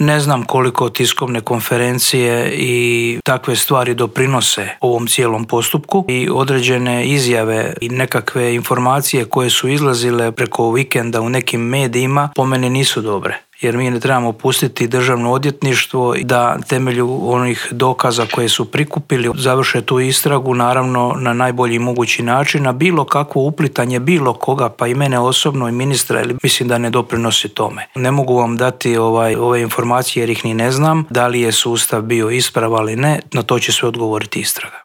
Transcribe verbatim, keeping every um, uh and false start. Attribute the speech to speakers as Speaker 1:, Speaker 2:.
Speaker 1: Ne znam koliko tiskovne konferencije i takve stvari doprinose ovom cijelom postupku i određene izjave i nekakve informacije koje su izlazile preko vikenda u nekim medijima po meni nisu dobre. Jer mi ne trebamo pustiti državno odvjetništvo da temelju onih dokaza koje su prikupili završe tu istragu, naravno na najbolji mogući način, a bilo kakvo uplitanje bilo koga, pa i mene osobno i ministra, mislim da ne doprinosi tome. Ne mogu vam dati ovaj, ove informacije jer ih ni ne znam, da li je sustav bio ispravan ili ne, na to će sve odgovoriti istraga.